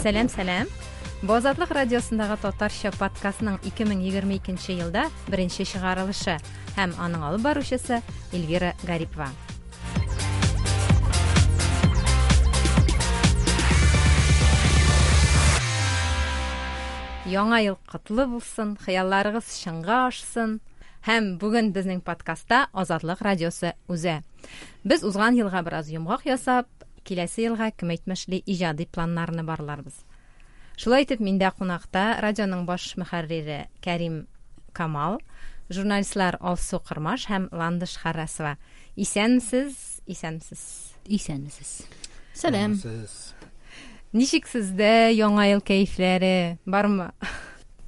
Сәлам, сәлам. Бу Азатлык радиосындагы татарча подкастның 2022 елда беренче чыгарылышы һәм аның алып баручысы Эльвира Гарипова. Яңа ел котлы булсын, хыялларыгыз чынга ашсын. Һәм бүген безнең подкастта Азатлык радиосы үзе. Без узган елга бераз йомгак ясап, киләсе елга кем әйтмешли иҗади планнарны барларбыз. Шулай итеп, миндә кунакта радионың баш мөхәррире Кәрим Камал, журналистлар Алсу Кырмаш һәм Ландыш Харрасова. Исәнмесез, исәнмесез. Исәнмесез. Сәлам. Ничек сездә яңа ел кәефләре бармы?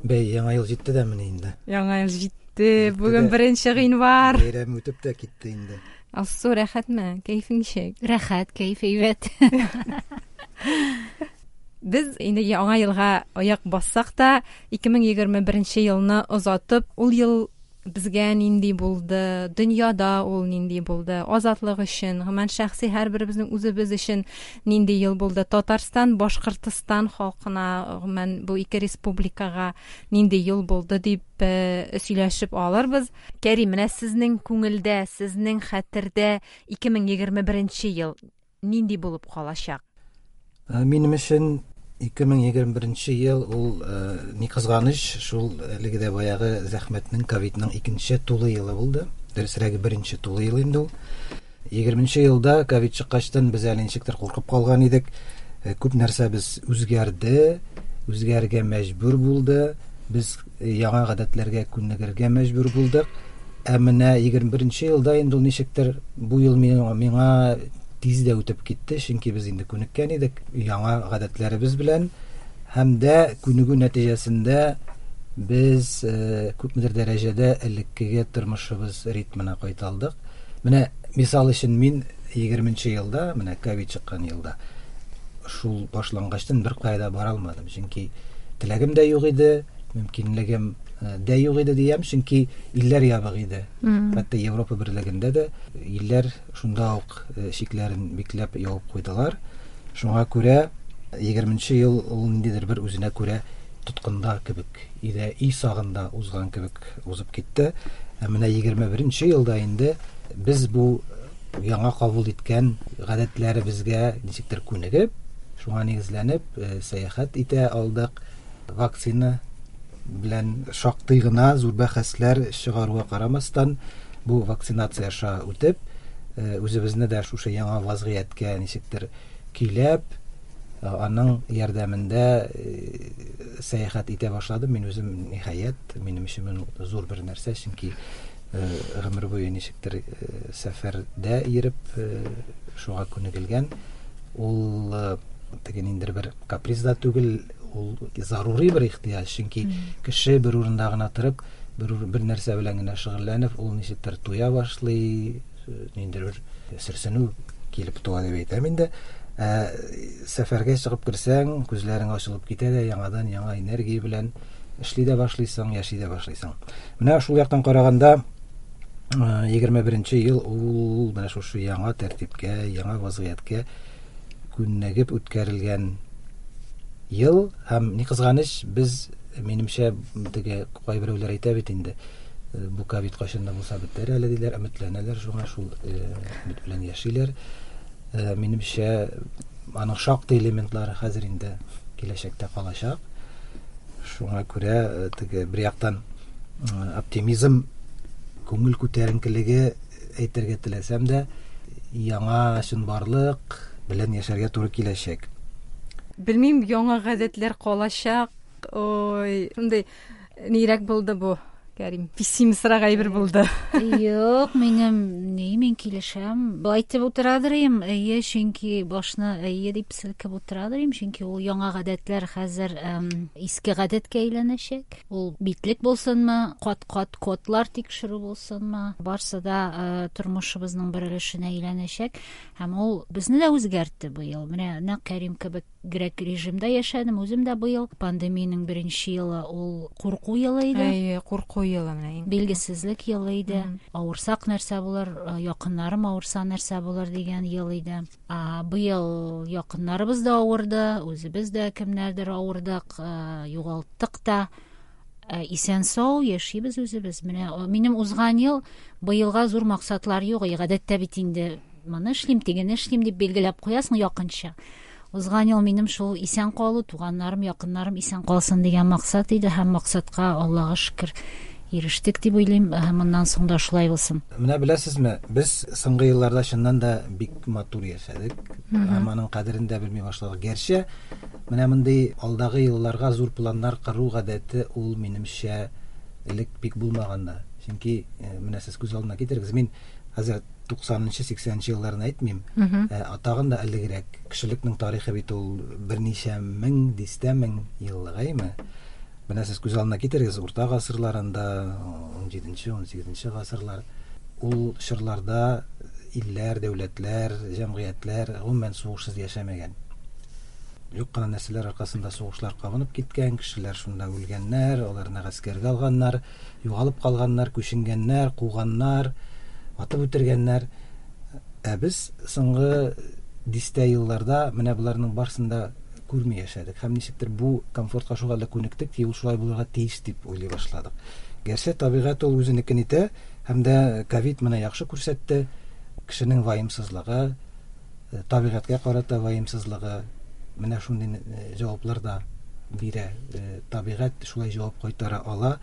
Бәй, яңа ел җитте дә менә инде. Яңа ел җитте. Бүген 1 гыйнвар. Бәйрәм үтеп тә китте инде. Алсу, рәхәтме? Кәефең ничек? Рәхәт, кәеф әйбәт. Без инде яңа елга аяк бассак та, 2021 елны озатып, ул ел безгә нинди булды, дөньяда ул нинди булды, азатлык өчен, гомумән шәхси һәрберебезнең үзебез өчен нинди ел булды, Татарстан, Башкортстан халкына, гомумән бу ике республикага нинди ел булды дип сөйләшеп алырбыз. Кәрим, менә сезнең күңелдә, сезнең хәтердә 2021 ел нинди булып калачак? Минем өчен 2021 ел ул ни кызганыч, шул әлеге дә баягы зәхмәтнең, ковидның икенче тулы елы булды. Дөресрәге, беренче тулы ел инде ул. 20 елда ковид чыккачтан без әле ничектер куркып калган идек. Күп нәрсәбез үзгәрде, үзгәрергә мәҗбүр булды. Без яңа гадәтләргә күнегергә мәҗбүр булдык. Ә менә 21 елда инде ул ничектер бу ел миңа тиз дә үтеп китте, чөнки без инде күнеккән идек яңа гадәтләребез белән. Һәм дә күнегү нәтиҗәсендә без күпмедер дәрәҗәдә элеккеге тормышыбыз ритмына кайта алдык. Менә мисал өчен мин 20 елда, менә ковид чыккан елда, шул башлангачтан бер кая да бара алмадым, чөнки теләгем дә юк иде, мөмкинлегем дә юк иде диям, чөнки илләр ябык иде. Хәтта Европа берлегендә дә илләр шунда ук чикләрен бикләп ябып куйдылар. Шуңа күрә 20 ел ул ниндидер бер үзенә күрә тоткында кебек, өйдә өй сагында узган кебек узып китте. Ә менә 21 елда инде без бу яңа кабул иткән гадәтләребезгә ничектер күнегеп, шуңа нигезләнеп сәяхәт итә алдык. Вакцина белән шактый гына зур бәхәсләр чыгаруга карамастан, бу вакцинация аша үтеп, үзебезне дә шушы яңа вазгыятькә ничектер көйләп, аның ярдәмендә сәяхәт итә башладым. Мин үзем ниһаять, минем өчен зур бер нәрсә, чөнки гомер буе ничектер сәфәрдә йөреп, шуңа күнегелгән. Ул теге ниндидер бер каприз да түгел, ул зарури бер ихтыяҗ, чөнки кеше бер урында гына торып, бер нәрсә белән генә шөгыльләнеп, ул ничектер туя башлый, ниндидер бер сөрсенү килеп туа дип әйтәм инде. Сәфәргә чыгып керсәң, күзләрең ачылып китә дә, яңадан яңа энергия белән эшли дә башлыйсың, яши дә башлыйсың. Менә шул яктан караганда, 21 ел ул менә шушы яңа тәртипкә, яңа вазгыятькә күнегеп үткәрелгән ел. Һәм ни кызганыч, без, минемчә, теге кайберәүләр әйтә бит инде, бу ковид кайчан да булса бетәр әле диләр, өметләнәләр шуңа, шул өмет белән яшиләр. Минемчә, аның шактый элементлары хәзер инде киләчәктә калачак. Шуңа күрә теге бер яктан оптимизм, күңел күтәренкелеге әйтергә теләсәм дә, яңа чынбарлык белән яшәргә туры киләчәк. Белмим, яңа гадәтләр калачак. Ой, шундый нирәк булды бу, Кәрим? Пессимистрак әйбер булды. Юк, минем ни, мин килешәм. Былай итеп утырадыр идем, әйе, чөнки башны әйе дип селкеп утырадыр идем, чөнки ул яңа гадәтләр хәзер иске гадәткә әйләнәчәк. Ул битлек булсынмы, кат-кат кодлар тикшерү булсынмы, барсы да тормышыбызның бер өлешенә әйләнәчәк. Һәм ул безне дә үзгәртте быел. Менә нәкъ Кәрим кебек. Грек режимда яшәдем үзем дә быел. Пандемиянең беренче елы ул курку елы иде. Әйе, курку елы менә иң. Билгесезлек елы иде. Авырсак нәрсә булыр, якыннарым авырса нәрсә булыр дигән ел иде. Быел якыннарыбыз да авырды, үзебез дә кемнәрдер авырдык, югалттык та. Исән сау яшибез үзебез. Менә минем узган ел быелга зур максатлар юк. Гадәттә бит инде моны эшлим, тегене эшлим дип билгеләп куясың якынча. Узган ел минем шул исән калу, туганнарым, якыннарым исән калсын дигән максат иде һәм максатка Аллага шөкер ирештек дип уйлыйм. Һәм моннан соң да шулай булсын. Менә беләсезме, без соңгы елларда чыннан да бик матур яшәдек. Һәм аның кадерен дә белми башладык. Гәрчә менә мондый алдагы елларга зур планнар кору гадәте ул минемчә элек бик булмаган да. Чөнки менә сез күз алдына китерегез, мин хәзер 90-нчы, 80-нче елларны әйтмим. Тагын да элегрәк кешелекнең тарихы бит ул берничә мең, дистә мең еллык, әйме? Менә сез күз алдына китерегез, урта гасырларында, 17-нче, 18-нче гасырлар, ул чорларда илләр, дәүләтләр, җәмгыятьләр гомумән сугышсыз яшәмәгән. Юк кына нәрсәләр аркасында сугышлар кабынып киткән, кешеләр шунда үлгәннәр, аларны гаскәргә алганнар, югалып калганнар, күченгәннәр, куганнар, атып үтергәннәр. Ә без соңгы дистә елларда менә боларның барысын да күрми яшәдек. Һәм ничектер бу комфортка шул хәтле күнектек ки, ул шулай булырга тиеш дип уйлый башладык. Гәрчә табигать ул үзенекен итә, һәм дә ковид менә яхшы күрсәтте, кешенең ваемсызлыгы, табигатькә карата ваемсызлыгы, менә шундый җаваплар да бирә. Табигать шулай җавап кайтара ала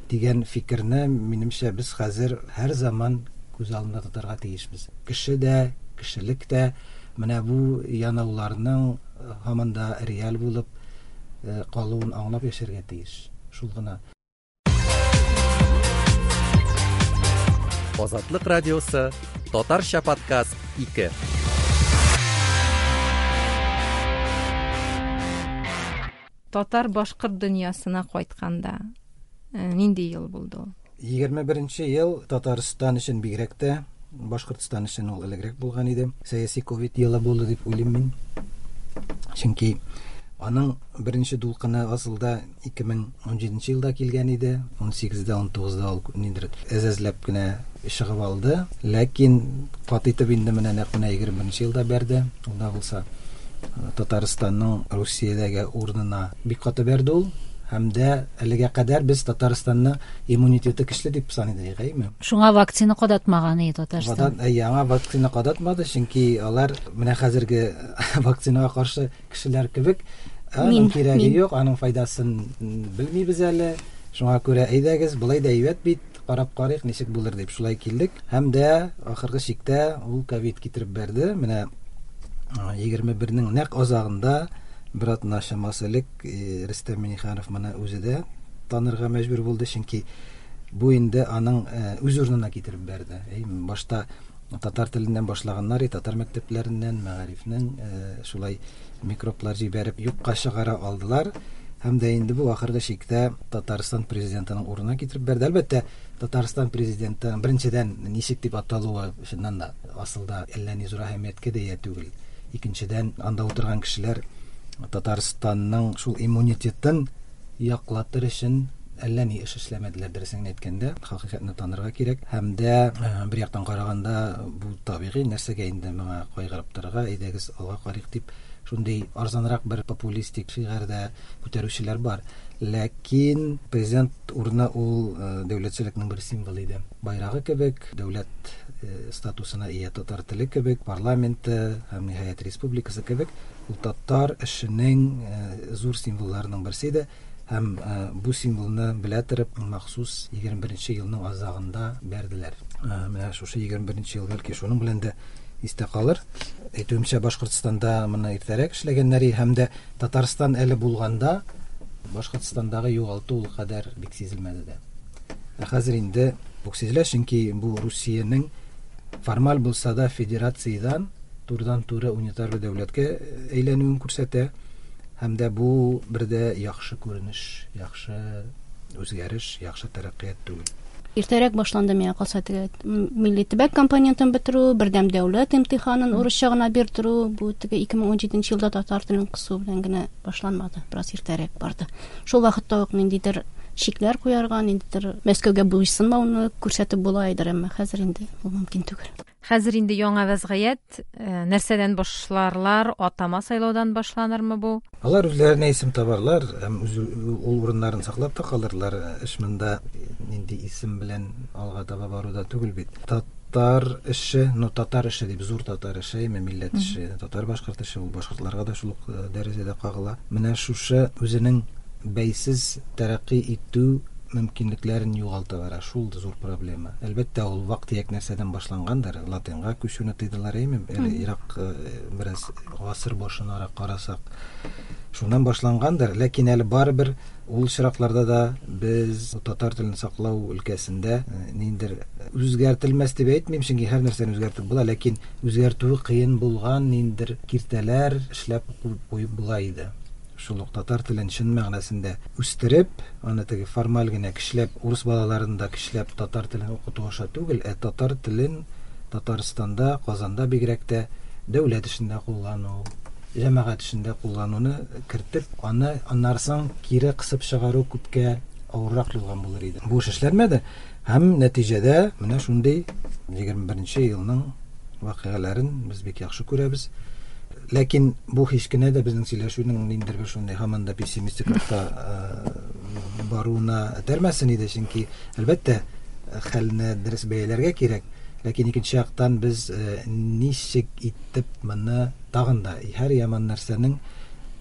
дигән фикерне, минемчә, без хәзер һәр заман күз алдында тотарга тиешбез. Кеше дә, кешелек тә менә бу янауларның һаман да реаль булып калуын аңлап яшәргә тиеш. Шул гына. Азатлык радиосы, Татарча подкаст 2. Татар башкорт дөньясына кайтканда нинди ел булды ул? 21 ел Татарстан өчен бигрәк тә, Башкортстан өчен ул элегрәк булган иде. Сәяси ковид елы булды дип уйлыйм мин. Чөнки аның беренче дулкыны асылда 2017 елда килгән иде. 18-дә, 19-да ул ниндидер әз-әзләп кенә чыгып алды. Ләкин каты итеп инде менә нәкъ менә 21 елда бәрде. Ул да булса Татарстанның Русиядәге урынына бик каты бәрде ул. Һәм дә әлегә кадәр без Татарстанны иммунитеты көчле дип саный идек, әйеме? Шуңа вакцина кадатмаган иде Татарстан. Яңа вакцина кадатмады, чөнки алар менә хәзерге вакцинага каршы кешеләр кебек, аның кирәге юк, аның файдасын белмибез әле. Шуңа күрә әйдәгез, болай да әйбәт бит, карап карыйк, ничек булыр дип шулай килдек. Һәм дә ахыргы чиктә ул ковид китереп бәрде. Менә 21-нең нәкъ азагында бер атна чамасы элек Рөстәм Миңнеханов моны үзе дә танырга мәҗбүр булды, чөнки бу инде аның үз урынына китереп бәрде. Башта татар теленнән башлаганнар, татар мәктәпләреннән, мәгарифнең шулай микроблар җибәреп юкка чыгара алдылар. Һәм дә инде бу ахыргы чиктә Татарстан президентының урынына китереп бәрде. Әлбәттә, Татарстан президенты беренчедән ничек дип аталуы чыннан да асылда әллә ни зур әһәмияткә дә ия түгел. Икенчедән, анда утырган кешеләр Татарстанның шул иммунитетын яклатыр өчен әллә ни эш эшләмәделәр, дөресен генә әйткәндә, хакыйкатьне танырга кирәк. Һәм дә бер яктан караганда бу табигый нәрсәгә инде моңа кайгырып торырга, әйдәгез алга карыйк дип шундый арзанрак бер популистик шигарь дә күтәрүчеләр бар. Ләкин президент урыны ул дәүләтчелекнең бер символы иде. Байрагы кебек, дәүләт статусына ия татар теле кебек, парламенты һәм ниһаять республикасы кебек, ул татар эшенең зур символларының берсе иде. Һәм бу символны белә торып, махсус 21 елның азагында бәрделәр. Менә шушы 21 ел бәлки шуның белән дә истә калыр. Әйтүемчә, Башкортстанда моны иртәрәк эшләгәннәр һәм дә Татарстан әле булганда Башкортстандагы югалту ул кадәр бик сизелмәде дә. Ә хәзер инде бу сизелә, чөнки бу Русиянең формаль булса да федерациядән турыдан-туры унитар бер дәүләткә әйләнүен күрсәтә. Һәм дә бу бер дә яхшы күренеш, яхшы үзгәреш, яхшы тәрәккыят түгел. Иртәрәк башланды миңа калса теге милли төбәк компонентын бетерү, бердәм дәүләт имтиханын урысча гына бирдерү, бу теге 2017 елда татар телен кысу белән генә башланмады, бераз иртәрәк барды. Шул вакытта ук ниндидер чикләр куярга, ниндидер Мәскәүгә буйсынмауны күрсәтеп була иде, әмма хәзер инде ул мөмкин түгел. Хәзер инде яңа вәзгыять, нәрсәдән башларлар, атама сайлаудан башланырмы бу? Алар үзләренә исем табарлар һәм үз ул урыннарын саклап та калырлар. Эш монда нинди исем белән алга таба баруда түгел бит. Татар эше, ну татар эше дип зур татар эше, әйме милләт эше, татар башкорт эше, ул башкортларга да шул ук дәрәҗәдә кагыла. Менә шушы үзенең бәйсез тәрәккый итү мөмкинлекләрен югалта бара. Шул зур проблема. Әлбәттә, ул вак-төяк нәрсәдән башлангандыр. Латинга күчүне тыйдылар, әйме? Әле ерак бераз гасыр башынарак карасак, шуннан башлангандыр. Ләкин әле барыбер ул очракларда да без татар телен саклау өлкәсендә ниндидер үзгәртелмәс дип әйтмим, чөнки һәр нәрсәне үзгәртеп була, ләкин үзгәртүе кыен булган ниндидер киртәләр эшләп куеп була иде. Шул ук татар телен чын мәгънәсендә үстереп, аны теге формаль генә көчләп, урыс балаларын да көчләп татар телен укыту аша түгел, ә татар телен Татарстанда, Казанда бигрәк тә дәүләт эшендә куллану, җәмәгать эшендә куллануны кертеп, аны аннары соң кире кысып чыгару күпкә авыррак булган булыр иде. Бу эш эшләнмәде һәм нәтиҗәдә менә шундый 21 елның вакыйгаларын без бик яхшы күрәбез. Ләкин бу һич кенә дә безнең сөйләшүнең ниндидер бер шундый һаман да пессимистик рухта баруына этәрмәсен иде, чөнки әлбәттә хәлне дөрес бәяләргә кирәк. Ләкин икенче яктан без ничек итеп моны тагын да һәр яман нәрсәнең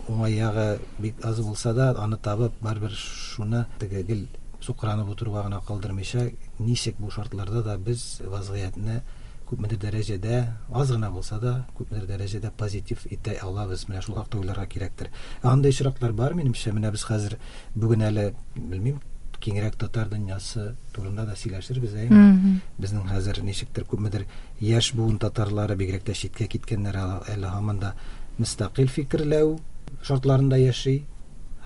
уңай ягы бик аз булса да, аны табып, барыбер шуны теге гел сукранып утыруга гына калдырмыйча, ничек бу шартларда да без вазгыятьне күпмедер дәрәҗәдә, аз гына булса да, күпмедер дәрәҗәдә позитив итә алабыз. Менә шул хакта уйларга кирәктер. Ә андый очраклар бар, минемчә. Менә без хәзер бүген әле, белмим, киңрәк татар дөньясы турында да сөйләшербез, әйеме? Безнең хәзер ничектер күпмедер яшь буын татарлары, бигрәк тә читкә киткәннәр әле һаман да мөстәкыйль фикерләү шартларында яши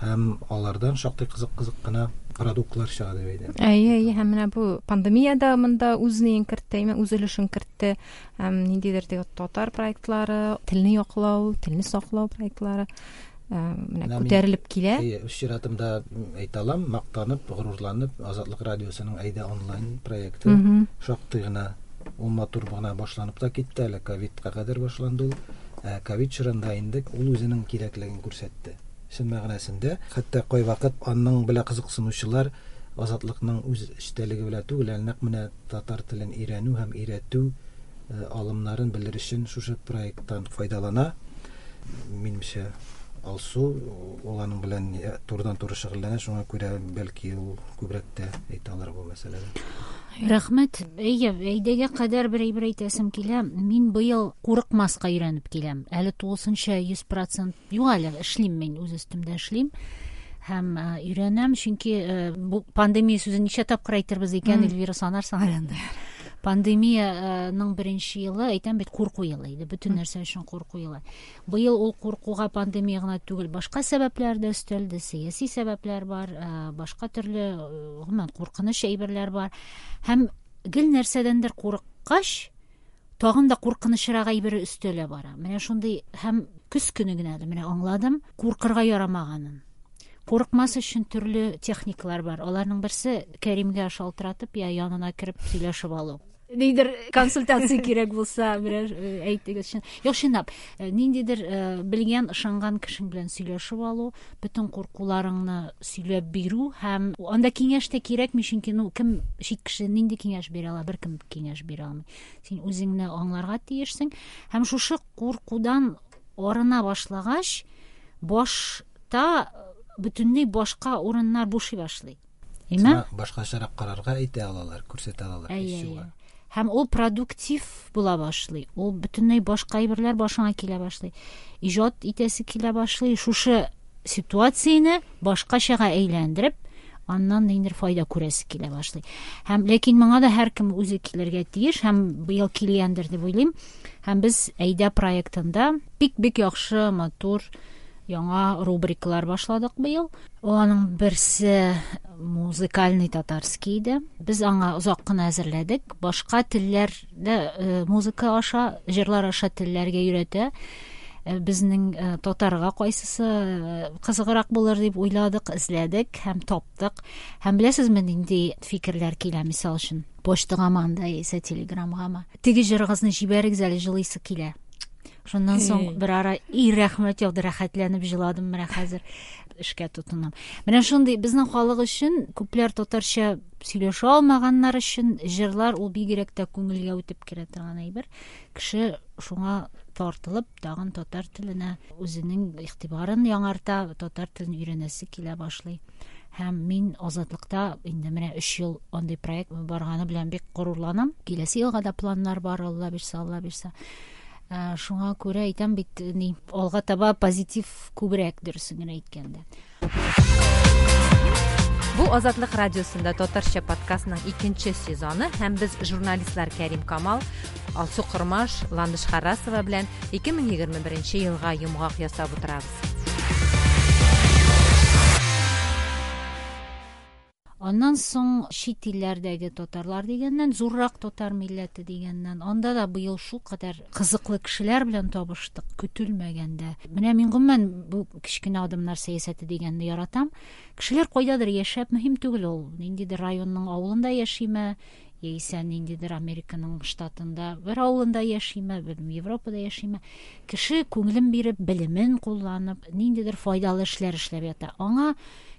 һәм алардан шактый кызык-кызык кына продуктлар чыга дип әйтәм. Әйе, әйе, һәм менә бу пандемия дә монда үз ниен кертте, әйме, үз өлешен кертте. Һәм ниндидер теге татар проектлары, телне яклау, телне саклау проектлары менә күтәрелеп килә. Әйе, үз чиратымда әйтә алам, мактанып, горурланып, Азатлык радиосының Әйдә онлайн проекты шактый гына ул матур гына башланып та китте, әле ковидка кадәр башланды ул. Ә ковид чорында инде ул үзенең кирәклеген күрсәтте. Чын мәгънәсендә, хәтта кайвакыт аның белән кызыксынучылар Азатлыкның үз эчтәлеге белән түгел, ә нәкъ менә татар телен өйрәнү һәм өйрәтү алымнарын белер өчен шушы проекттан файдалана. Минемчә, Алсу ул аның белән турыдан-туры шөгыльләнә, шуңа күрә бәлки ул күбрәк тә әйтә алыр бу мәсьәләдә. Рәхмәт. Әйе, әйдәгә кадәр бер әйбер әйтәсем килә. Мин быел курыкмаска өйрәнеп киләм. Әле тулысынча 100% юк әле, эшлим мин, үз өстемдә эшлим. Һәм өйрәнәм, чөнки бу пандемия сүзен ничә тапкыр әйтербез икән, Эльвира, санарсың әле анда. Пандемияның беренче елы, әйтәм бит, курку елы иде. Бөтен нәрсә өчен курку елы. Быел ул куркуга пандемия гына түгел, башка сәбәпләр дә өстәлде, сәяси сәбәпләр бар, башка төрле, гомумән, куркыныч әйберләр бар. Һәм гел нәрсәдәндер курыккач, тагын да куркынычрак әйбере өстәлә бара. Менә шундый һәм көз көне генә әле менә аңладым, куркырга ярамаганын. Курыкмас өчен төрле техникалар бар. Аларның берсе Кәримгә шалтыратып, я янына кереп сөйләшеп алу. Ниндидер консультация кирәк булса, берәр әйтегез. Юк, чынлап, ниндидер белгән, ышанган кешең белән сөйләшеп алу, бөтен куркуларыңны сөйләп бирү һәм анда киңәш тә кирәкми, чөнки, ну, кем чит кеше нинди киңәш бирә ала, беркем киңәш бирә алмый. Син үзеңне аңларга тиешсең. Һәм шушы куркудан арына башлагач, башта бөтенләй башка урыннар бушый башлый. Әйме? Башкачарак карарга әйтә алалар, күрсәтә алалар. Әйе, әйе. Һәм ул продуктив була башлый. Ул бөтенләй башка әйберләр башыңа килә башлый. Иҗат итәсе килә башлый. Шушы ситуацияне башкачага әйләндереп, аннан ниндидер файда күрәсе килә башлый. Һәм ләкин моңа да һәркем үзе килергә тиеш һәм быел килгәндер дип уйлыйм. Һәм без Әйдә проектында бик-бик яхшы, матур Яңа рубрикалар башладык быел. Ул аның берсе музыкальный татарский иде. Без аңа озак кына әзерләдек. Башка телләрдә музыка аша, җырлар аша телләргә өйрәтә. Безнең татарга кайсысы кызыграк булыр дип уйладык, эзләдек һәм таптык. Һәм беләсезме, нинди фикерләр килә, мисал өчен, почтагамы анда яисә телеграмгамы? Теге җырыгызны җибәрегез әле, җылыйсы килә. Шуннан соң бер ара и рәхмәт яуды, рәхәтләнеп җыладым, менә хәзер эшкә тотынам. Менә шундый безнең халык өчен, күпләр татарча сөйләшә алмаганнар өчен җырлар ул бигрәк тә күңелгә үтеп керә торган әйбер. Кеше шуңа тартылып, тагын татар теленә үзенең игътибарын яңарта, татар телен өйрәнәсе килә башлый. Һәм мин Азатлыкта инде менә 3 ел андый проект барганы белән бик горурланам. Киләсе елга да планнар бар, Алла бирсә, Алла бирсә. Шуңа күрә әйтәм бит, ни, алга таба позитив күбрәк, дөресен генә әйткәндә. Бу Азатлык радиосында татарча подкастның икенче сезоны һәм без журналистлар Кәрим Камал, Алсу Кормаш, Ландыш Харрасова белән 2021 елга йомгак ясап утырабыз. Аннан соң чит илләрдәге татарлар дигәннән, зуррак татар милләте дигәннән, анда да быел шулкадәр кызыклы кешеләр белән табыштык, көтелмәгәндә. Менә мин гомумән бу кечкенә адымнар сәясәте дигәнне яратам. Кешеләр кайдадыр яшәп, мөһим түгел ул, ниндидер районның авылында яшиме, яисә ниндидер Американың штатында бер авылында яшиме, белмим, Европада яшиме. Кеше күңелен биреп, белемен кулланып, ниндидер файдалы эшләр эшләп ята. Аңа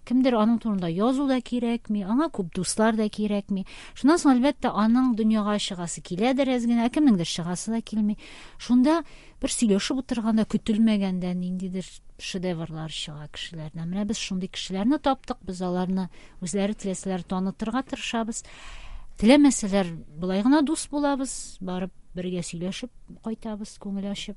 кемдер аның турында язу да кирәкми, аңа күп дуслар да кирәкми. Шуннан соң, әлбәттә, аның дөньяга чыгасы киләдер әз генә, ә кемнеңдер чыгасы да килми. Шунда бер сөйләшеп утырганда, көтелмәгәндә ниндидер шедеврлар чыга кешеләрдән. Менә без шундый кешеләрне таптык, без аларны үзләре теләсәләр танытырга тырышабыз. Теләмәсәләр, болай гына дус булабыз, барып бергә сөйләшеп кайтабыз, күңел ачып.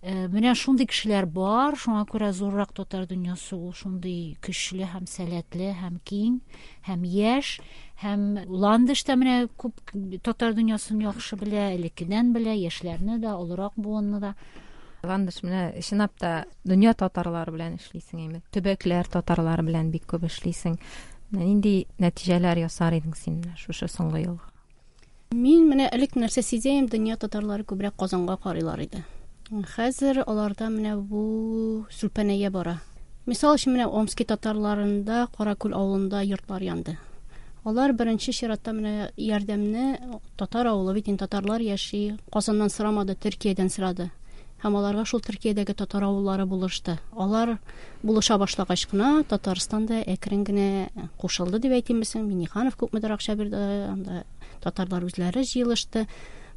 Менә шундый кешеләр бар, шуңа күрә зуррак татар дөньясы ул шундый көчле һәм сәләтле, һәм киң, һәм яшь, һәм Ландыш та менә күп татар дөньясын яхшы белә, элеккедән белә, яшьләрне дә, олырак буынны да. Ландыш, менә чынлап та дөнья татарлары белән эшлисең, әйме? Төбәкләр татарлары белән бик күп эшлисең. Менә нинди нәтиҗәләр ясар идең син менә шушы соңгы елга? Мин менә элек нәрсә сизәем, дөнья татарлары күбрәк Казанга карыйлар иде. Хәзер аларда менә бу сүлпәнәя бара. Мисал өчен, менә Омски татарларында Каракүл авылында йортлар янды. Алар беренче чиратта менә ярдәмне татар авылы бит инде, татарлар яши, Казаннан сорамады, Төркиядән сорады. Һәм аларга шул Төркиядәге татар авыллары булышты. Алар булыша башлагач кына Татарстан да әкрен генә кушылды дип әйтимме соң? Минниханов күпмедер акча бирде, анда татарлар үзләре җыелышты.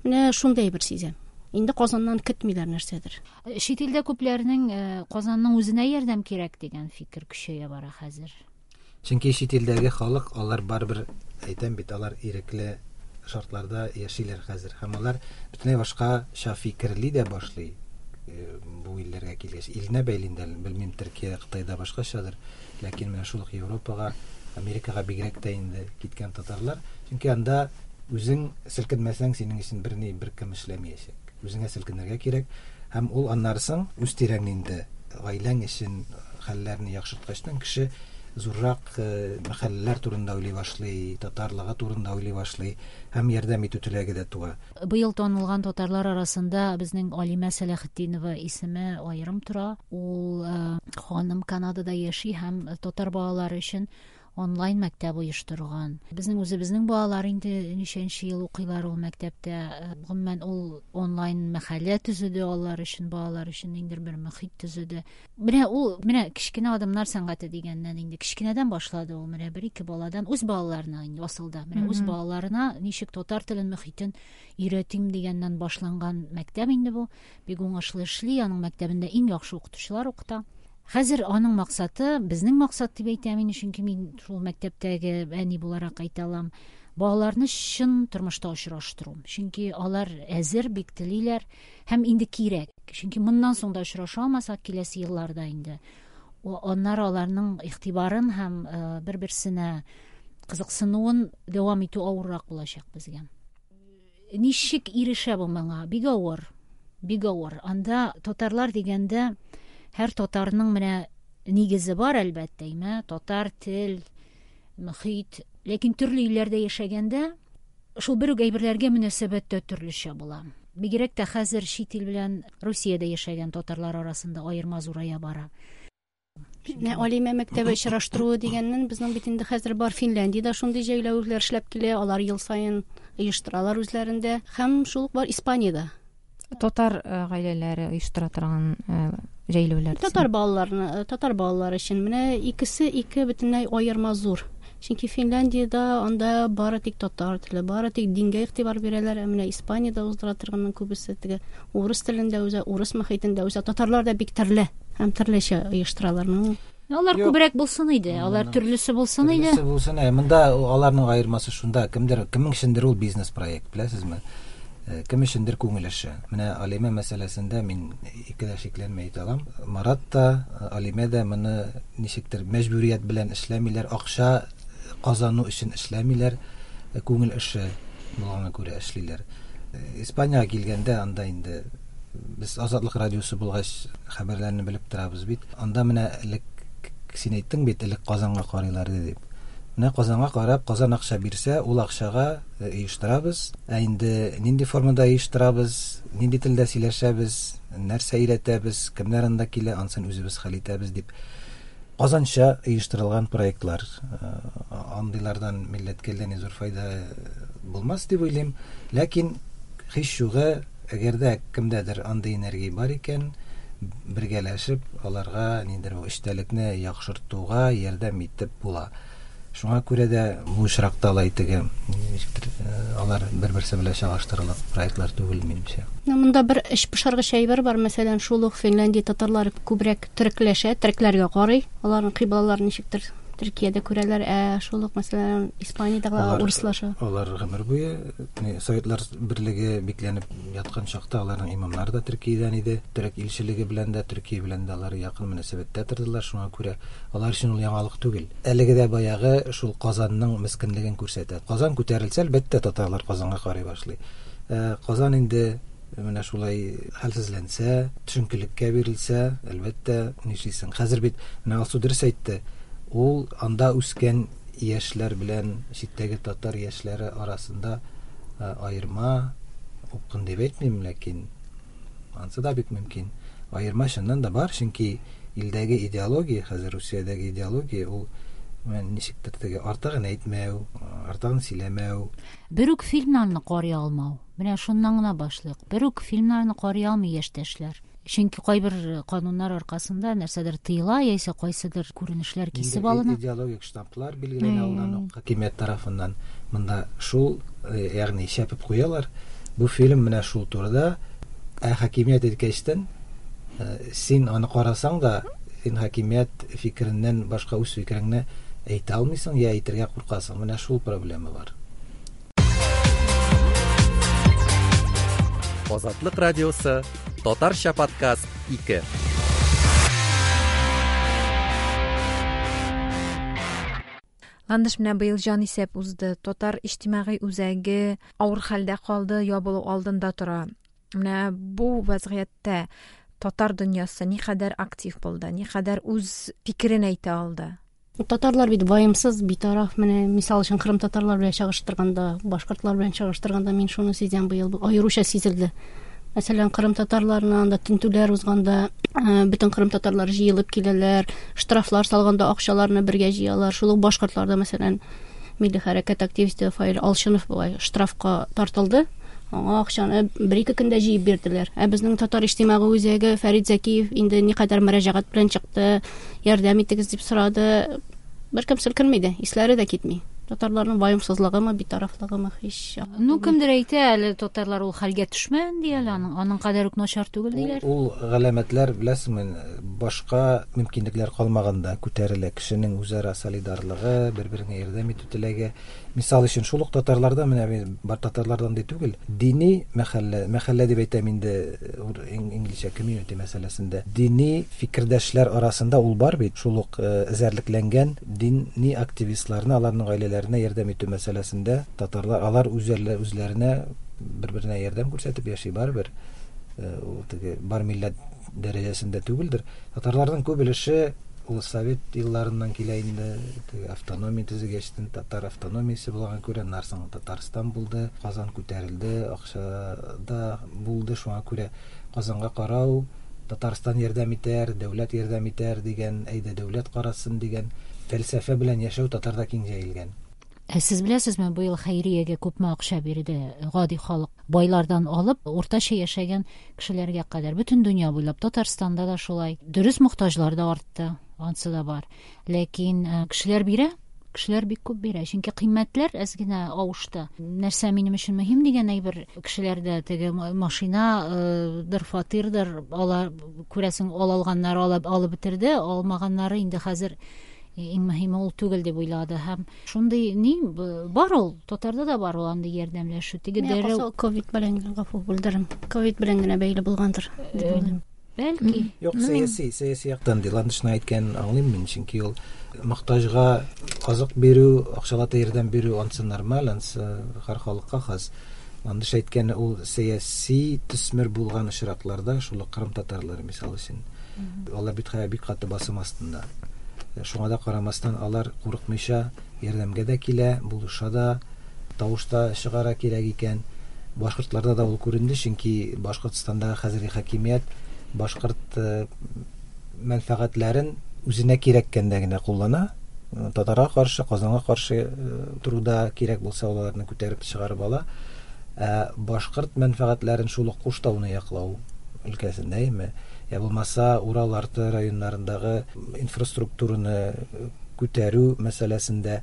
Менә шундый бер сизәм. Инде Казаннан көтмиләр нәрсәдер. Чит илдә күпләрнең Казанның үзенә ярдәм кирәк дигән фикер көчәя бара хәзер. Чөнки чит илдәге халык, алар барыбер, әйтәм бит, алар ирекле шартларда яшиләр хәзер. Һәм алар бөтенләй башкача фикерли дә башлый бу илләргә килгәч. Иленә бәйле инде, белмим, Төркия, Кытайда башкачадыр. Ләкин менә шул ук Европага, Америкага бигрәк тә инде киткән татарлар. Чөнки анда үзең селкенмәсәң, синең өчен берни, беркем эшләмәячәк. Үзеңә селкенергә кирәк. Һәм ул аннары соң үз тирәңне инде гаиләң өчен хәлләрне яхшырткачтан кеше зуррак мәхәлләләр турында уйлый башлый, татарлыгы турында уйлый башлый һәм ярдәм итү теләге дә туа. Быел танылган татарлар арасында безнең Алимә Сәләхетдинова исеме аерым тора. Ул ханым Канадада яши һәм татар балалары өчен онлайн мәктәп оештырган. Безнең үзебезнең балалар инде ничәнче ел укыйлар ул мәктәптә. Гомумән, ул онлайн мәхәллә төзеде алар өчен, балалар өчен ниндидер бер мөхит төзеде. Менә ул, менә кечкенә адымнар сәнгате дигәннән инде кечкенәдән башлады ул, менә бер-ике баладан, үз балаларына инде асылда, менә үз балаларына ничек татар телен, мөхитен өйрәтим дигәннән башланган мәктәп инде бу. Бик уңышлы эшли, аның мәктәбендә иң яхшы укытучылар укыта. Хәзер аның максаты, безнең максат дип әйтәм инде, чөнки мин шул мәктәптәге әни буларак әйтә алам, балаларны чын тормышта очраштыру. Чөнки алар әзер, бик телиләр һәм инде кирәк. Чөнки моннан соң да очраша алмасак киләсе елларда инде. Аннары аларның игътибарын һәм бер-берсенә кызыксынуын дәвам итү авыррак булачак безгә. Ничек ирешә бу моңа? Бик авыр. Бик авыр. Анда татарлар дигәндә Һәр татарның менә нигезе бар, әлбәттә, әйме, татар тел, мөхит. Ләкин төрле илләрдә яшәгәндә шул бер үк әйберләргә мөнәсәбәт тә төрлечә була. Бигрәк тә хәзер чит ил белән Русиядә яшәгән татарлар арасында аерма зурая бара. Менә Алимә мәктәбе очраштыруы дигәннән безнең бит инде хәзер бар Финляндиядә шундый җәйләүләр эшләп килә, алар ел саен оештыралар үзләрендә. Һәм шул ук бар Испаниядә. Татар гаиләләре оештыра торган җәйләүләр. Татар балаларны, татар балалары өчен менә икесе ике бөтенләй аерма зур. Чөнки Финляндиядә анда бары тик татар теле, бары тик дингә игътибар бирәләр, ә менә Испаниядә уздыра торганның күбесе теге урыс телендә үзе, урыс мөхитендә үсә. Татарлар да бик төрле һәм төрлечә оештыралар. Ну, Алар күбрәк булсын иде, алар төрлесе булсын иде. Төрлесе булсын, ә монда аларның аермасы шунда, кемдер, кемнең өчендер ул бизнес проект, беләсезме? Кем өчендер күңел эше. Менә Алимә мәсьәләсендә мин ике дә шикләнмәй әйтә алам. Марат та, Алимә дә моны ничектер мәҗбүрият белән эшләмиләр, акча казану өчен эшләмиләр, күңел эше булганга күрә эшлиләр. Испаниягә килгәндә, анда инде без Азатлык радиосы булгач хәбәрләрне белеп торабыз бит. Анда менә элек син әйттең бит, элек Казанга карыйлар иде дип. Менә Казанга карап, Казан акча бирсә, ул акчага оештырабыз. Ә инде нинди формада оештырабыз, нинди телдә сөйләшәбез, нәрсә өйрәтәбез, кемнәр анда килә, ансын үзебез хәл итәбез дип. Казанча оештырылган проектлар, андыйлардан милләткә әллә ни зур файда булмас дип уйлыйм. Ләкин һич югы, әгәр дә кемдәдер андый энергия бар икән, бергәләшеп аларга ниндидер бу эчтәлекне яхшыртуга ярдәм итеп була. Шуңа күрә дә бу очракта алай теге ничектер алар бер-берсе белән чагыштырырлык проектлар түгел, минемчә. Монда бер эчпошыргыч әйбер бар, мәсәлән, шул ук Финляндия татарлары күбрәк төрекләшә, төрекләргә карый, аларның кыйблаларын ничектер Төркиядә күрәләр, ә шул ук, мәсәлән, Испаниядә урыслаша. Алар гомер буе Советлар берлеге бикләнеп яткан чакта аларның имамнары да Төркиядән иде. Төрек илчелеге белән дә, Төркия белән дә алар якын мөнәсәбәттә тордылар, шуңа күрә алар өчен ул яңалык түгел. Әлеге дә баягы шул Казанның мескенлеген күрсәтә. Казан күтәрелсә, әлбәттә, татарлар Казанга карый башлый. Казан инде менә шулай хәлсезләнсә, төшенкелеккә бирелсә, әлбәттә, нишлисең? Хәзер бит менә Алсу дөрес әйтте. Ул анда үскән яшьләр белән читтәге татар яшьләре арасында аерма, упкын дип әйтмим, ләкин ансы да бик мөмкин. Аерма чыннан да бар, чөнки илдәге идеология, хәзер Русиядәге идеология, ул ничектер теге артыгын әйтмәү, артыгын сөйләмәү. Бер үк фильмнарны карый алмау. Менә шуннан гына башлыйк. Бер үк фильмнарны карый алмый яшьтәшләр. Чөнки кайбер кануннар аркасында нәрсәдер тыела, яисә кайсыдыр күренешләр кисеп алына. Идеологик штамплар билгеләнә алдан ук хакимият тарафыннан. Монда шул, ягъни шәпеп куялар. Бу фильм менә шул турыда. Ә хакимият әйткәчтен, син аны карасаң да, син хакимият фикереннән башка үз фикереңне әйтә алмыйсың, я әйтергә куркасың. Менә шул проблема бар. Азатлык радиосы, Татарча подкаст 2. Ландыш менә быел җан исәп узды. Татар иҗтимагый үзәге авыр хәлдә калды, ябылу алдында тора. Менә бу вазгыятьтә татар дөньясы никадәр актив булды, никадәр үз фикерен әйтә алды. Татарлар бит ваемсыз, битараф. Менә мисал өчен кырым татарлар белән чагыштырганда, башкортлар белән чагыштырганда мин шуны сизәм, быел аеруча сизелде. Мәсәлән, кырым татарларына анда тентүләр узганда, бөтен кырым татарлар җыелып киләләр, штрафлар салганда акчаларны бергә җыялар. Шул ук башкортларда, мәсәлән, милли хәрәкәт активисты Фаил Алшинов болай штрафка тартылды. Аңа акчаны бер-ике көндә җыеп бирделәр. Ә безнең Татар иҗтимагый үзәге Фәрит Зәкиев инде никадәр мөрәҗәгать белән чыкты, ярдәм итегез дип сорады. Беркем селкенми дә, исләре дә китми. Татарларның ваемсызлыгымы, битарафлыгымы һич. Ну, кемдер әйтә, әле татарлар ул хәлгә төшмәгән ди әле, аның кадәр үк начар түгел диләр. Ул галәмәтләр, беләсеңме, башка мөмкинлекләр калмаганда күтәрелә кешенең үзара солидарлыгы, бер-береңә ярдәм итү теләге. Мисал өчен, шул ук татарларда, менә мин бар татарлардан ди түгел, дини мәхәллә, мәхәллә дип әйтәм инде, инглизчә community мәсьәләсендә, дини фикердәшләр арасында ул бар бит, шул ук эзәрлекләнгән дини активистларны, аларның гаиләләренә ярдәм итү мәсьәләсендә татарлар, алар үзләренә бер-беренә ярдәм күрсәтеп яши барыбер. Ул теге бар милләт дәрәҗәсендә түгелдер. Татарларның күп өлеше ул совет елларыннан килә инде, теге автономия төзегәчтен татар автономиясе булган күрә, аннан соң Татарстан булды, Казан күтәрелде, акча да булды, шуңа күрә Казанга карау, Татарстан ярдәм итәр, дәүләт ярдәм итәр дигән, әйдә дәүләт карасын дигән фәлсәфә белән яшәү татарда киң җәелгән. Ә сез беләсезме, быел хәйриягә күпме акча бирде гади халык? Байлардан алып, уртача яшәгән кешеләргә кадәр. Бөтен дөнья буйлап, Татарстанда да шулай. Дөрес, мохтаҗлар да артты, ансы да бар. Ләкин кешеләр бирә, кешеләр бик күп бирә. Чөнки кыйммәтләр әз генә авышты. Нәрсә минем өчен мөһим дигән әйбер кешеләрдә теге машинадыр, фатирдыр, алар күрәсең, ала алганнары алып бетерде, алмаганнары инде хәзер иң мөһиме ул түгел дип уйлады. Һәм шундый ни бар ул, татарда да бар ул андый ярдәмләшү. Теге дәррәү ковид белән генә, гафу бүлдерем. Ковид белән генә бәйле булгандыр дип уйлыйм. Бәлки. Юк, сәяси яктан ди. Ландышның әйткәнен аңлыйм мин, чөнки ул мохтаҗга азык бирү, акчалата ярдәм бирү ансы нормаль, ансы һәр халыкка хас. Ландыш әйткәне ул сәяси төсмер булган очракларда, шул ук кырым татарлары мисал өчен. Алар бит хәзер бик каты басым астында. Шуңа да карамастан алар курыкмыйча ярдәмгә дә килә, булыша да, тавыш та чыгара кирәк икән. Башкортларда да ул күренде, чөнки Башкортстандагы хәзерге хакимият башкорт мәнфәгатьләрен үзенә кирәккәндә генә куллана. Татарга каршы, Казанга каршы торуда кирәк булса, ул аларны күтәреп чыгарып ала. Ә башкорт мәнфәгатьләрен шул ук Куштауны яклау өлкәсендә, әйме? Я булмаса, Урал арты районнарындагы инфраструктураны күтәрү мәсьәләсендә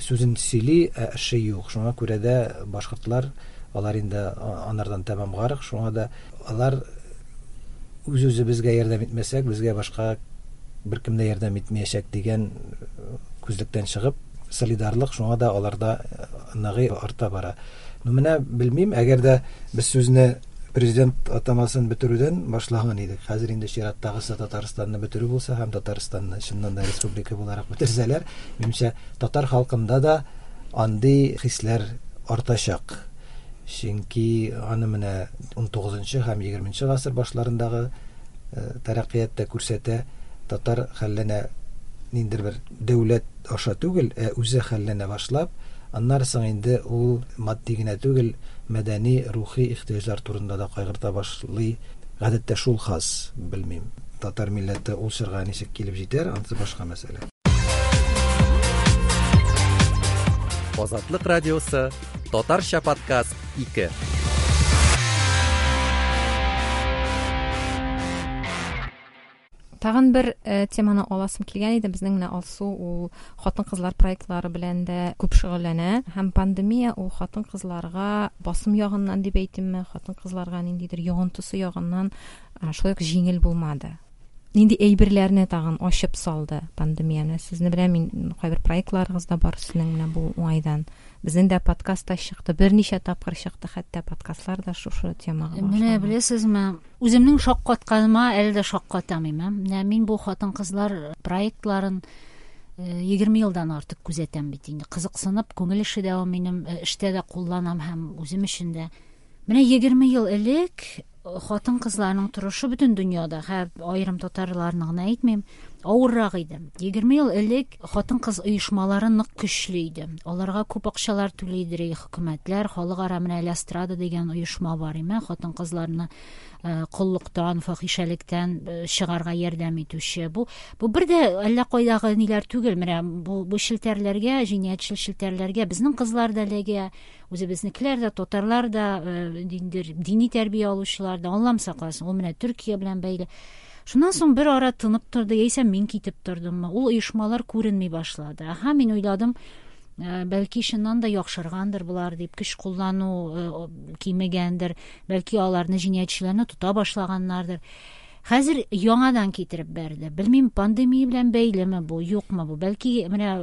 сүзен сөйли, ә эше юк. Шуңа күрә дә башкортлар, алар инде анардан тәмам гарык, шуңа да алар үз-үзебезгә ярдәм итмәсәк, безгә башка беркем дә ярдәм итмәячәк дигән күзлектән чыгып, солидарлык шуңа да аларда ныгый арта бара. Ну, менә белмим, әгәр дә без сүзне президент атамасын бетерүдән башлаган идек. Хәзер инде чираттагысы Татарстанны бетерү булса һәм Татарстанны чыннан да республика буларак бетерсәләр, минемчә, татар халкында да андый хисләр артачак. Чөнки аны менә 19 һәм 20 гасыр башларындагы тәрәккыят та күрсәтә, татар хәлләнә ниндидер бер дәүләт аша түгел, ә үзе хәлләнә башлап, аннары соң инде ул матди генә түгел, мәдәни, рухи ихтыяҗлар турында да кайгырта башлый. Гадәттә шул хас, белмим. Татар милләте ул чорга ничек килеп җитәр, анысы башка мәсьәлә. Азатлык радиосы, Татарча подкаст 2. Тагын бер теманы аласым килгән иде. Безнең менә Алсу ул хатын-кызлар проектлары белән дә күп шөгыльләнә. Һәм пандемия ул хатын-кызларга басым ягыннан дип әйтимме, хатын-кызларга ниндидер йогынтысы ягыннан шулай ук җиңел булмады. Нинди әйберләрне тагын ачып салды пандемия? Менә сезне беләм, мин кайбер проектларыгыз да бар сезнең менә бу уңайдан. Безнең дә подкаст та чыкты, берничә тапкыр чыкты, хәтта подкастлар да шушы темага Менә багышланган. беләсезме, үземнең шаккатканыма әле дә шаккатам инде. Менә мин бу хатын-кызлар проектларын 20 елдан артык күзәтәм бит инде. Кызыксынып, күңел эше дә ул минем, эштә дә кулланам һәм үзем өчен дә. Менә 20 ел элек хатын-кызларның торышы бөтен дөньяда, һәм аерым татарларны гына әйтмим, авыррак иде. 20 ел элек хатын-кыз оешмалары нык көчле иде. Аларга күп акчалар түлидер хөкүмәтләр, халыкара менә Ля Страда дигән оешма бар име, хатын-кызларны коллыктан, фахишәлектән чыгарга ярдәм итүче. Бу бер дә әллә кайдагы ниләр түгел, менә бу челтәрләргә, җинаятьчел челтәрләргә безнең кызлар да эләгә, үзебезнекеләр дә, татарлар да, дини тәрбия алучылар да, Аллам сакласын, ул менә Төркия белән бәйле. Шуннан соң бер ара тынып торды, яисә мин китеп тордыммы, ул оешмалар күренми башлады. Аһа, мин уйладым, бәлки чыннан да яхшыргандыр болар дип, көч куллану кимегәндер, бәлки аларны җинаятьчеләрне тота башлаганнардыр. Хәзер яңадан китереп бәрде. Белмим, пандемия белән бәйлеме бу, юкмы бу? Бәлки менә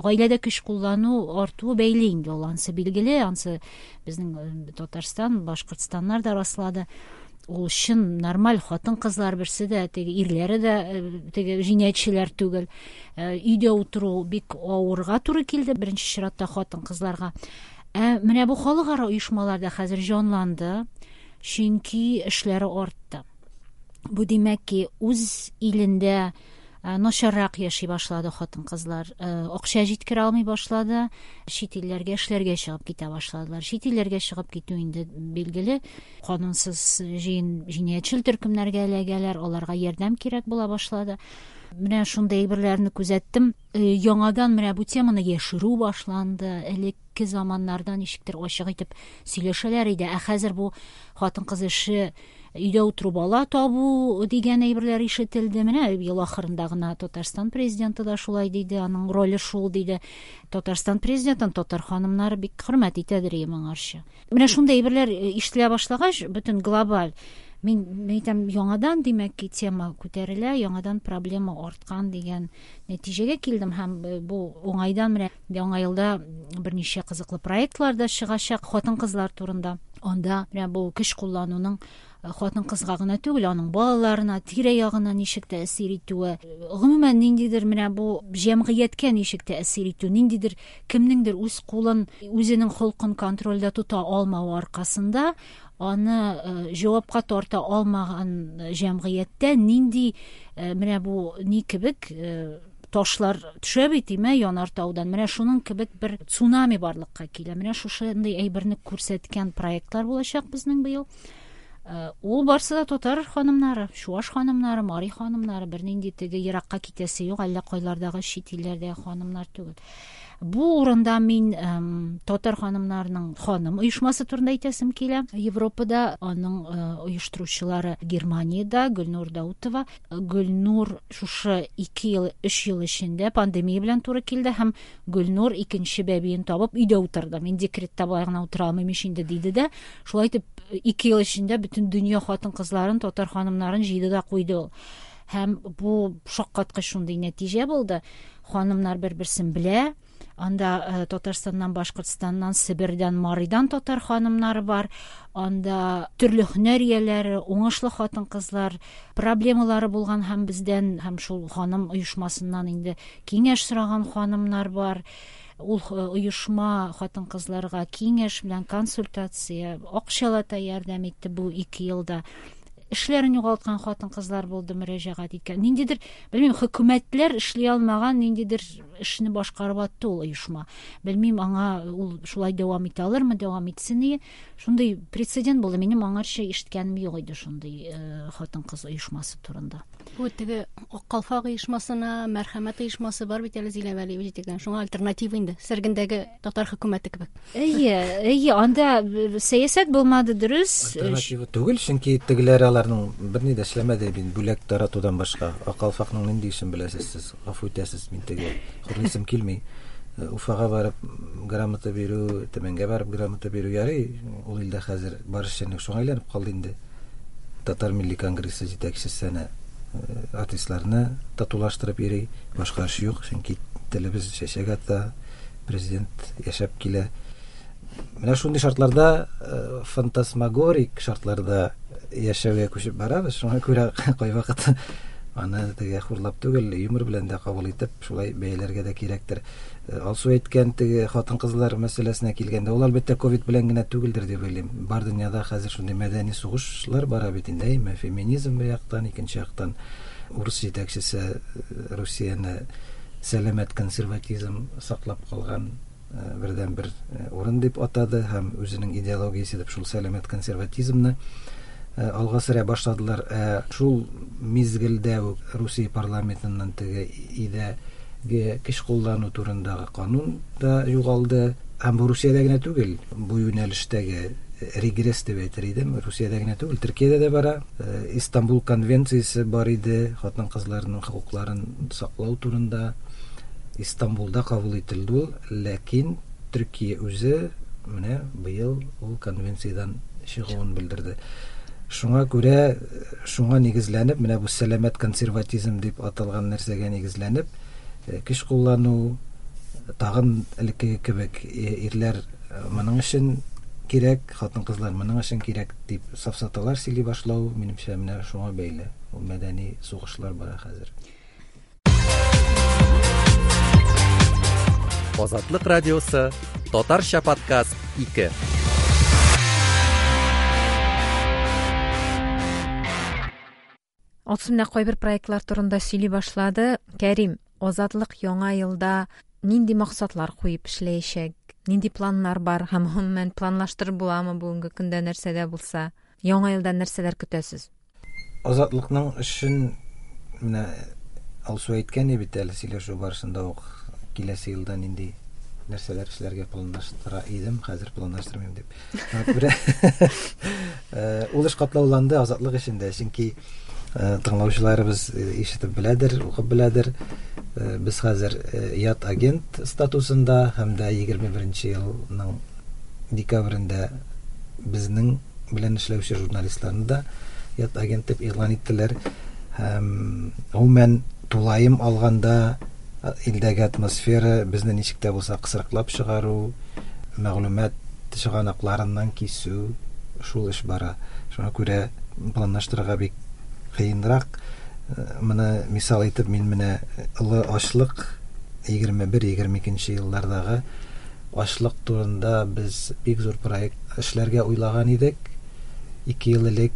гаиләдә көч куллану артуы бәйле инде ул, ансы билгеле, ансы безнең Татарстан, Башкортстаннар да раслады. Ул чын нормаль хатын-кызлар берсе дә, теге ирләре дә теге җинаятьчеләр түгел. Өйдә утыру бик авырга туры килде беренче чиратта хатын-кызларга. Ә менә бу халыкара оешмалар да хәзер җанланды, чөнки эшләре артты. Бу димәк ки, үз илендә начаррак яши башлады хатын-кызлар. Акча җиткерә алмый башлады, чит илләргә эшләргә чыгып китә башладылар. Чит илләргә чыгып китү инде билгеле, канунсыз җинаятьчел төркемнәргә эләгәләр, аларга ярдәм кирәк була башлады. Менә шундый әйберләрне күзәттем. Яңадан менә бу теманы яшерү башланды. Элекке заманнарда ничектер ачык итеп сөйләшәләр иде. Ә хәзер бу хатын-кыз эше өйдә утыру бала табу дигән әйберләр ишетелде. Менә ел ахырында гына Татарстан президенты да шулай диде, аның роле шул диде. Татарстан президентын татар ханымнары бик хөрмәт итәдер иде моңарчы. Менә шундый әйберләр ишетелә башлагач, бөтен глобаль мин әйтәм, яңадан димәк ки тема күтәрелә, яңадан проблема арткан дигән нәтиҗәгә килдем һәм бу уңайдан менә яңа елда берничә кызыклы проектлар да чыгачак хатын-кызлар турында. Анда менә бу көч куллануның хатын-кызга гына түгел, аның балаларына, тирә-ягына ничек тәэсир итүе, гомумән ниндидер менә бу җәмгыятькә ничек тәэсир итү, ниндидер кемнеңдер үз кулын, үзенең холкын контрольдә тота алмавы аркасында аны җавапка тарта алмаган җәмгыятьтә нинди менә бу ни кебек ташлар төшә бит, име, янар таудан. Менә шуның кебек бер цунами барлыкка килә. Менә шушындый әйберне күрсәткән проектлар булачак безнең быел. Ул барсы да татар ханымнары, чуаш ханымнары, мари ханымнары, бернинди теге еракка китәсе юк, әллә кайлардагы чит илләрдәге ханымнар түгел. Бу урында мин татар ханымнарының ханым оешмасы турында әйтәсем килә. Европада аның оештыручылары Германиядә Гөлнур Даутова. Гөлнур шушы 2 ел, 3 ел эчендә пандемия белән туры килде һәм Гөлнур икенче бәбиен табып өйдә утырды. Мин декретта болай гына утыра алмыйм ич инде диде дә. Шулай итеп 2 ел эчендә бөтен дөнья хатын-кызларын, татар ханымнарын җыйды да куйды ул. Һәм бу шаккаткыч шундый нәтиҗә булды. Ханымнар бер-берсен белә. Анда Татарстаннан, Башкортстаннан, Себердән, Маридан татар ханымнары бар. Анда төрле һөнәр ияләре, уңышлы хатын-кызлар, проблемалары булган һәм бездән, һәм шул ханым оешмасыннан инде киңәш сораган ханымнар бар. Ул оешма хатын-кызларга киңәш белән консультация, акчалата ярдәм итте бу 2 елда. Эшләрен югалткан хатын-кызлар булды мөрәҗәгать иткән. Ниндидер, белмим, хөкүмәтләр эшли алмаган ниндидер эшне башкарып атты ул оешма. Белмим, аңа ул шулай дәвам итә алырмы, дәвам итсен ие. Шундый прецедент булды. Минем аңарча ишеткәнем юк иде шундый хатын-кыз оешмасы турында. Бу теге Ак калфак оешмасына, Мәрхәмәт оешмасы бар бит әле Зилә Вәлиева җитәкләгән. Шуңа альтернатива инде, Сәргендәге татар хөкүмәте кебек. Әйе, әйе, анда сәясәт булмады, дөрес. Альтернатива түгел, чөнки тегеләр аларның берни дә эшләмәде бит, бүләк таратудан башка. Ак калфакның нинди эшен беләсез сез? Гафу итәсез, мин теге хурлыйсым килми. Уфага барып грамота бирү, Төмәнгә барып грамота бирү ярый. Ул илдә хәзер бар эшчәнлек шуңа әйләнеп калды инде. Татар милли конгрессы җитәкчесе әнә артистларны татулаштырып йөри, башка эш юк, чөнки телебез чәчәк ата, президент яшәп килә. Менә шундый шартларда, фантасмагорик шартларда яшәүгә күчеп барабыз. Шуңа күрә кайвакыт аны теге хурлап түгел, юмор белән дә кабул итеп, шулай бәяләргә дә кирәктер. Алсу әйткән теге хатын-кызлар мәсьәләсенә килгәндә, ул әлбәттә ковид белән генә түгелдер дип уйлыйм. Бар дөньяда хәзер шундый мәдәни сугышлар бара бит инде, әйме, феминизм бер яктан, икенче яктан урыс җитәкчесе Русияне сәламәт консерватизм саклап калган бердән бер урын дип атады һәм үзенең идеологиясе дип шул сәламәт консерватизмны алга сөрә башладылар. Шул мизгелдә үк Русия парламентыннан теге идәге көч куллану турындагы канун да югалды. Һәм бу Русиядә генә түгел, бу юнәлештәге регресс дип әйтер идем, Русиядә генә түгел, Төркиядә дә бара. Истанбул конвенциясе бар иде, хатын-кызларның хокукларын саклау турында. Истанбулда кабул ителде ул, ләкин Төркия үзе менә быел ул конвенциядән чыгуын белдерде. Шуңа күрә, шуңа нигезләнеп, менә бу сәламәт консерватизм дип аталган нәрсәгә нигезләнеп, көч куллану тагын элеккеге кебек ирләр моның өчен кирәк, хатын-кызлар моның өчен кирәк дип сафсаталар сөйли башлау, минемчә, менә шуңа бәйле. Ул мәдәни сугышлар бара хәзер. Азатлык радиосы, Татарча подкаст 2. Алсу менә кайбер проектлар турында сөйли башлады. Кәрим, Азатлык яңа елда нинди максатлар куеп эшләячәк? Нинди планнар бар һәм гомумән планлаштырып буламы бүгенге көндә нәрсә дә булса? Яңа елдан нәрсәләр көтәсез? Азатлыкның эшен менә Алсу әйткән иде бит әле сөйләшү барышында ук киләсе елда нинди нәрсәләр эшләргә планлаштыра идем, хәзер планлаштырмыйм дип. Шуңа күрә ул эш катлауланды Азатлык эшендә, чөнки тыңлаучыларыбыз ишетеп беләдер, укып беләдер. Без хәзер ят агент статусында һәм дә 21 елның декабрендә безнең белән эшләүче журналистларны да ят агент дип игълан иттеләр. Һәм гомумән тулаем алганда илдәге атмосфера безне ничек тә булса кысрыклап чыгару, мәгълүмат чыганакларыннан кисү, шул эш бара. Шуңа күрә планлаштырырга бик кыенрак. Моны мисал итеп мин менә олы ачлык 21-22 еллардагы ачлык турында без бик зур проект эшләргә уйлаган идек. 2 ел элек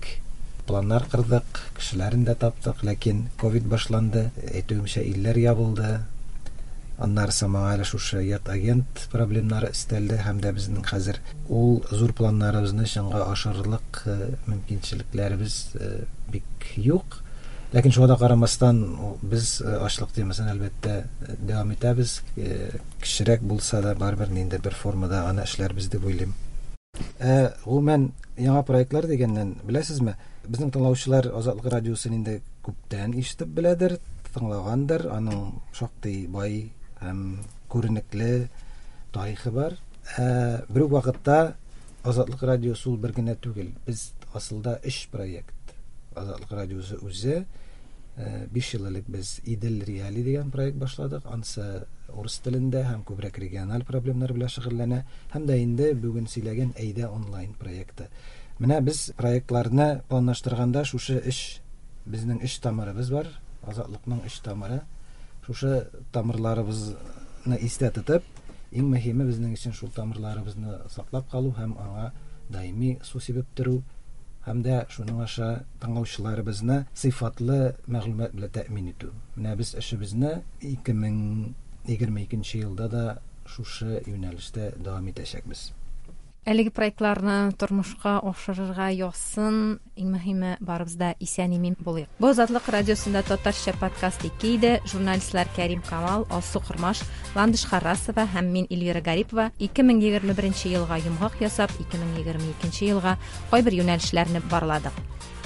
планнар кырдык, кешеләрен дә таптык, ләкин ковид башланды, әйтүемчә, илләр ябылды. Аннары соң моңа әле шушы ят агент проблемнары өстәлде һәм дә безнең хәзер ул зур планнарыбызны чынга ашырырлык мөмкинчелекләребез бик юк. Ләкин шуңа да карамастан, без ачлык темасын әлбәттә дәвам итәбез. Кечерәк булса да, барыбер ниндидер бер формада аны эшләрбез дип уйлыйм. Ә гомумән яңа проектлар дигәннән, беләсезме, безнең тыңлаучылар Азатлык радиосын инде күптән ишетеп беләдер, тыңлагандыр, аның шактый бай һәм күренекле тарихы бар. Ә бер үк вакытта Азатлык радиосы ул бер генә түгел. Без асылда өч проект. Азатлык радиосы үзе, 5 ел элек без Идел Реали дигән проект башладык. Ансы урыс телендә һәм күбрәк региональ проблемнар белән шөгыльләнә. Һәм дә инде бүген сөйләгән Әйдә онлайн проекты. Менә без проектларны планлаштырганда шушы өч, безнең өч тамырыбыз бар, Азатлыкның өч тамыры. Шушы тамырларыбызны истә тотып, иң мөһиме безнең өчен шул тамырларыбызны саклап калу һәм аңа даими су сибеп тору һәм дә шуның аша тыңлаучыларыбызны сыйфатлы мәгълүмат белән тәэмин итү. Менә без эшебезне 2022 елда да шушы юнәлештә дәвам итәчәкбез. Әлеге проектларны тормышка ашырырга язсын. Иң мөһиме, барыбыз да исән-имин булыйк. Бу Азатлык радиосында татарча подкаст 2 иде. Журналистлар Кәрим Камал, Алсу Кормаш, Ландыш Харрасова һәм мин Эльвира Гарипова 2021 елга йомгак ясап, 2022 елга кайбер юнәлешләрне барладык.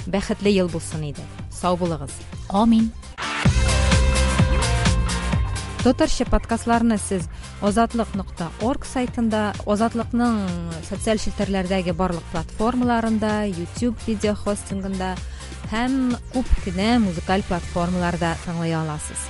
Бәхетле ел булсын иде. Сау булыгыз. Амин. Татарча подкастларны сез азатлык.орг сайтында, Азатлыкның социаль челтәрләрдәге барлык платформаларында, YouTube видео хостингында һәм күп кенә музыкаль платформаларда тыңлый аласыз.